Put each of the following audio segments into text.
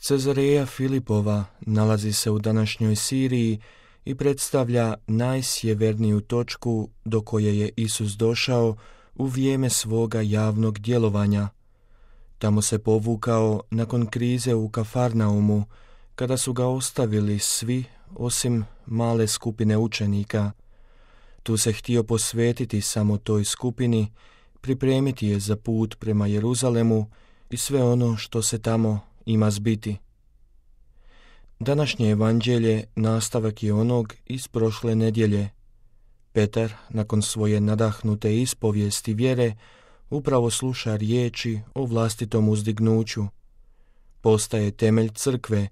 Cezareja Filipova nalazi se u današnjoj Siriji i predstavlja najsjeverniju točku do koje je Isus došao u vrijeme svoga javnog djelovanja. Tamo se povukao nakon krize u Kafarnaumu, kada su ga ostavili svi osim male skupine učenika. Tu se htio posvetiti samo toj skupini, pripremiti je za put prema Jeruzalemu i sve ono što se tamo ima zbiti. Današnje evanđelje nastavak je onog iz prošle nedjelje. Petar, nakon svoje nadahnute ispovijesti vjere, upravo sluša riječi o vlastitom uzdignuću. Postaje temelj crkve,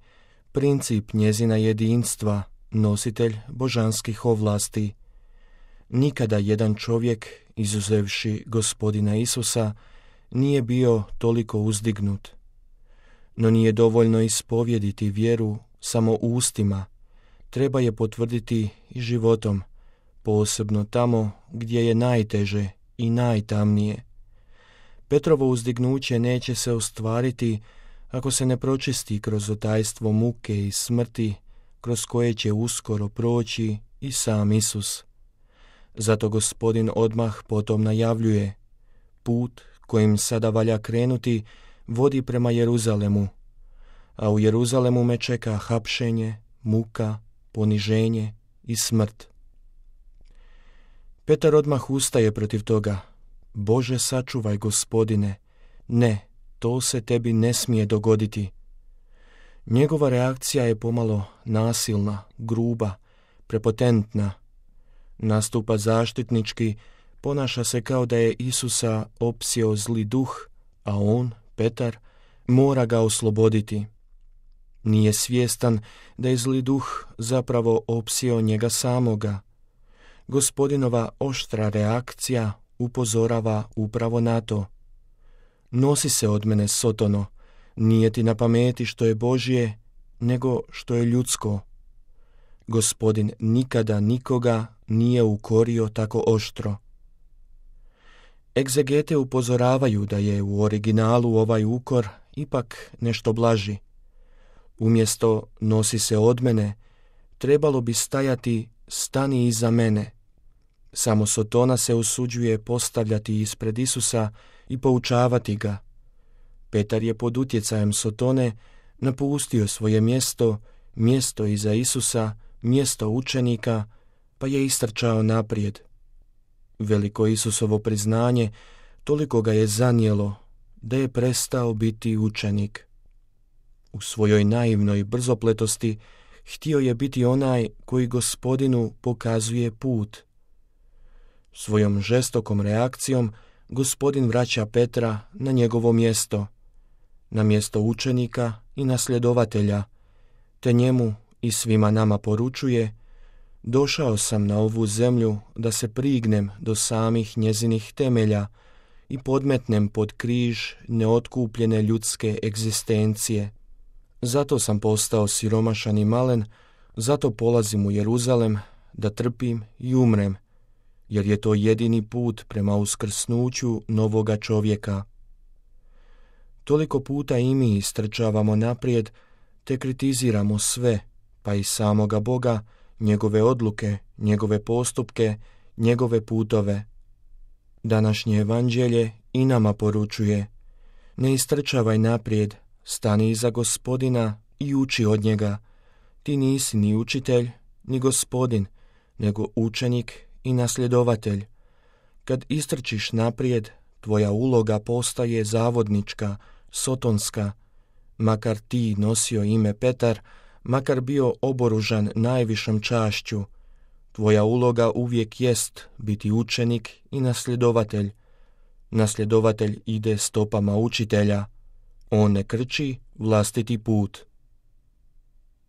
princip njezina jedinstva, nositelj božanskih ovlasti. Nikada jedan čovjek, izuzevši Gospodina Isusa, nije bio toliko uzdignut. No nije dovoljno ispovjediti vjeru samo ustima, treba je potvrditi i životom, posebno tamo gdje je najteže i najtamnije. Petrovo uzdignuće neće se ostvariti ako se ne pročisti kroz otajstvo muke i smrti, kroz koje će uskoro proći i sam Isus. Zato Gospodin odmah potom najavljuje: put kojim sada valja krenuti vodi prema Jeruzalemu, a u Jeruzalemu me čeka hapšenje, muka, poniženje i smrt. Petar odmah ustaje protiv toga: Bože, sačuvaj, Gospodine, ne, to se tebi ne smije dogoditi. Njegova reakcija je pomalo nasilna, gruba, prepotentna. Nastupa zaštitnički, ponaša se kao da je Isusa opsio zli duh, a on, Petar, mora ga osloboditi. Nije svjestan da je zli duh zapravo opsio njega samoga. Gospodinova oštra reakcija upozorava upravo na to. Nosi se od mene, Sotono, nije ti na pameti što je Božje, nego što je ljudsko. Gospodin nikada nikoga nije ukorio tako oštro. Egzegete upozoravaju da je u originalu ovaj ukor ipak nešto blaži. Umjesto nosi se od mene, trebalo bi stajati stani iza mene. Samo Sotona se usuđuje postavljati ispred Isusa i poučavati ga. Petar je pod utjecajem Sotone napustio svoje mjesto iza Isusa, mjesto učenika, pa je istrčao naprijed. Veliko Isusovo priznanje toliko ga je zanijelo da je prestao biti učenik. U svojoj naivnoj brzopletosti htio je biti onaj koji Gospodinu pokazuje put. Svojom žestokom reakcijom Gospodin vraća Petra na njegovo mjesto, na mjesto učenika i nasljedovatelja, te njemu i svima nama poručuje: došao sam na ovu zemlju da se prignem do samih njezinih temelja i podmetnem pod križ neotkupljene ljudske egzistencije. Zato sam postao siromašan i malen, zato polazim u Jeruzalem da trpim i umrem, jer je to jedini put prema uskrsnuću novoga čovjeka. Toliko puta i mi istrčavamo naprijed, te kritiziramo sve, pa i samoga Boga, njegove odluke, njegove postupke, njegove putove. Današnje evanđelje i nama poručuje: ne istrčavaj naprijed, stani iza Gospodina i uči od njega. Ti nisi ni učitelj, ni Gospodin, nego učenik i nasljedovatelj. Kad istrčiš naprijed, tvoja uloga postaje zavodnička, sotonska. Makar ti nosio ime Petar, makar bio oboružan najvišom čašću, tvoja uloga uvijek jest biti učenik i nasljedovatelj. Nasljedovatelj ide stopama učitelja. On ne krči vlastiti put.